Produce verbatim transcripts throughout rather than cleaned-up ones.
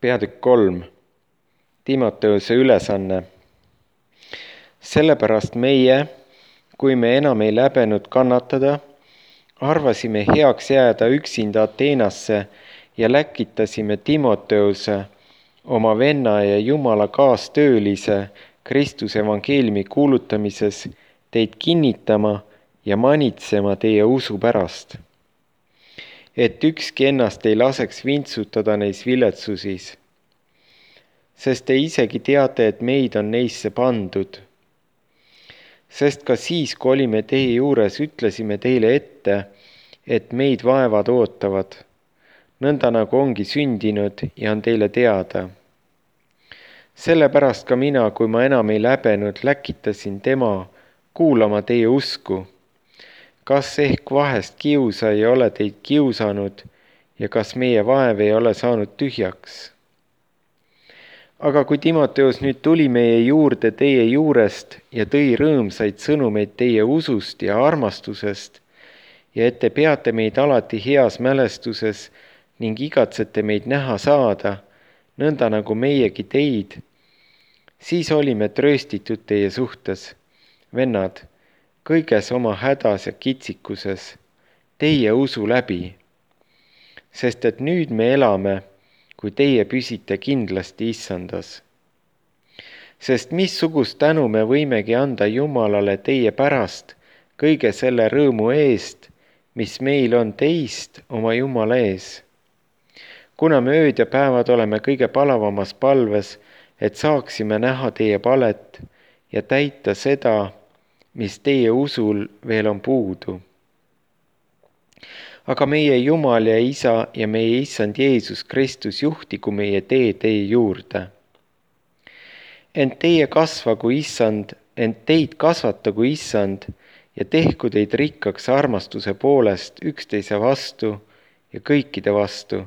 Peatükk kolm. Timoteuse ülesanne. Sellepärast meie, kui me enam ei läbenud kannatada, arvasime heaks jääda üksinda Ateenasse ja läkitasime Timoteuse, oma venna ja Jumala kaastöölise Kristuse evangeeliumi kuulutamises teid kinnitama ja manitsema teie usu pärast, et ükski ennast ei laseks vintsutada neis viletsusis, sest te isegi teate, et meid on neisse pandud. Sest ka siis, kui olime teie juures, ütlesime teile ette, et meid vaevad ootavad, nõnda nagu ongi sündinud ja on teile teada. Sellepärast ka mina, kui ma enam ei läbenud, läkitasin tema kuulama teie usku. Kas ehk vahest kiusa ei ole teid kiusanud ja kas meie vaev ei ole saanud tühjaks? Aga kui Timoteus nüüd tuli meie juurde teie juurest ja tõi rõõmsaid sõnumeid teie usust ja armastusest ja et te peate meid alati heas mälestuses ning igatsete meid näha saada, nõnda nagu meiegi teid, siis olime trööstitud teie suhtes, vennad, kõiges oma hädas ja kitsikuses, teie usu läbi, sest et nüüd me elame, kui teie püsite kindlasti issandas. Sest missugust tänu me võimegi anda Jumalale teie pärast kõige selle rõõmu eest, mis meil on teist oma Jumala ees. Kuna me ööd ja päevad oleme kõige palavamas palves, et saaksime näha teie palet ja täita seda, mis teie usul veel on puudu. Aga meie Jumal ja Isa ja meie Issand Jeesus Kristus juhtigu meie tee teie juurde. Ent teie kasvagu Issand, ent teid kasvatagu Issand ja tehku teid rikkaks armastuse poolest üksteise vastu ja kõikide vastu,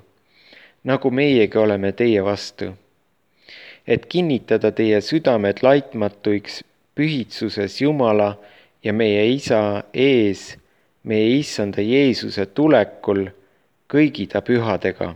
nagu meiegi oleme teie vastu. Et kinnitada teie südamed laitmatuiks pühitsuses Jumala ja meie Isa ees, meie Issanda Jeesuse tulekul kõigi ta pühadega.